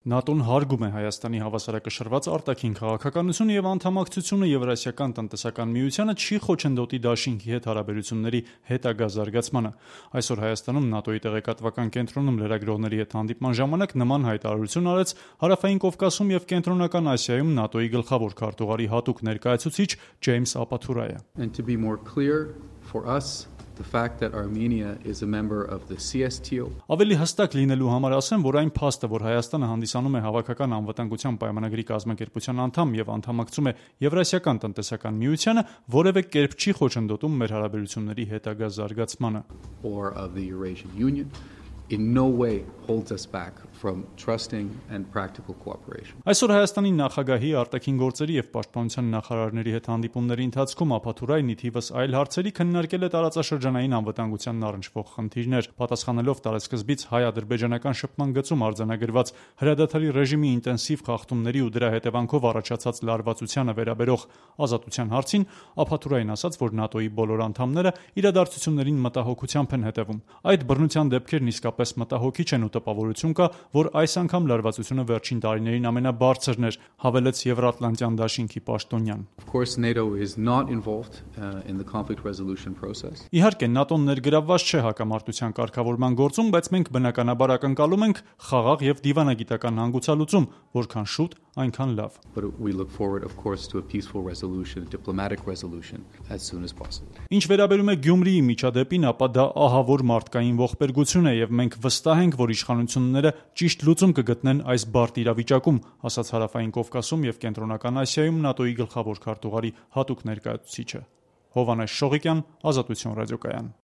ՆԱՏՕ-ն հարգում է Հայաստանի հավասարակշռված արտաքին քաղաքականությունը եւ անդամակցությունը Եվրասիական տնտեսական միությանը չի խոչընդոտի դաշինքի հետ հարաբերությունների հետագա զարգացմանը։ Այսօր Հայաստանում ՆԱՏՕ-ի տեղեկատվական կենտրոնում լրագրողների հետ հանդիպման ժամանակ նման հայտարարություն արեց Հարավային Կովկասում եւ Կենտրոնական Ասիայում ՆԱՏՕ-ի գլխավոր քարտուղարի հատուկ ներկայացուցիչ Ջեյմս Ապաթուրայը։ The fact that Armenia is a member of the CSTO. Ավելի հստակ լինելու համար ասեմ, որ այն փաստը, որ Հայաստանը հանդիսանում է հավաքական անվտանգության պայմանագրի կազմակերպության անդամ եւ անդամակցում է Եվրասիական տնտեսական միությանը, որևէ կերպ չի խոչընդոտում մեր հարաբերությունների հետագա զարգացմանը։ Or of the Eurasian Union in no way holds us back from trusting and practical cooperation. Այսօր Հայաստանի նախագահի արտաքին գործերի եւ պաշտպանության նախարարների հետ հանդիպումների ընթացքում Ապաթուրայն ի թիվս այլ հարցերի քննարկել է տարածաշրջանային անվտանգությանն առնչվող խնդիրներ, պատասխանելով տարեսկզբից հայ-ադրբեջանական շփման գծում արձանագրված հրադադարի ռեժիմի ինտենսիվ խախտումների ու դրա հետևանքով առաջացած լարվածությանը վերաբերող ազատության հարցին, Ապաթուրայն ասաց, որ ՆԱՏՕ-ի բոլոր անդամները իրադարձություններին մտահոգությամբ են հետևում։ Այդ բռնության դեպքերն իսկապես մտահոգիչ են ու տպավորություն կա, որ այս անգամ լարվածությունը վերջին տարիներին ամենաբարձրն էր, հավելեց Եվրատլանտյան դաշինքի պաշտոնյան։ Of course, NATO is not involved in the conflict resolution process. Իհարկե, ՆԱՏՕ-ն ներգրավված չէ հակամարտության կարգավորման գործում, բայց մենք բնականաբար ակնկալում ենք խաղաղ եւ դիվանագիտական հանգուցալուծում, որքան շուտ, այնքան լավ։ But we look forward, of course, to a peaceful resolution, a diplomatic resolution as soon as possible. Ինչ վերաբերում է Գյումրիի միջադեպին, ապա դա ահավոր մարդկային ողբերգություն է եւ մենք վստահ ենք, որ իշխանությունները ճիշտ լուծում կգտնեն այս բարդ իրավիճակում, ասաց Հարավային Կովկասում եւ Կենտրոնական Ասիայում ՆԱՏՕ-ի գլխավոր քարտուղարի հատուկ ներկայացուցիչը։ Հովհաննես Շողիկյան, Ազատություն ռադիոկայան։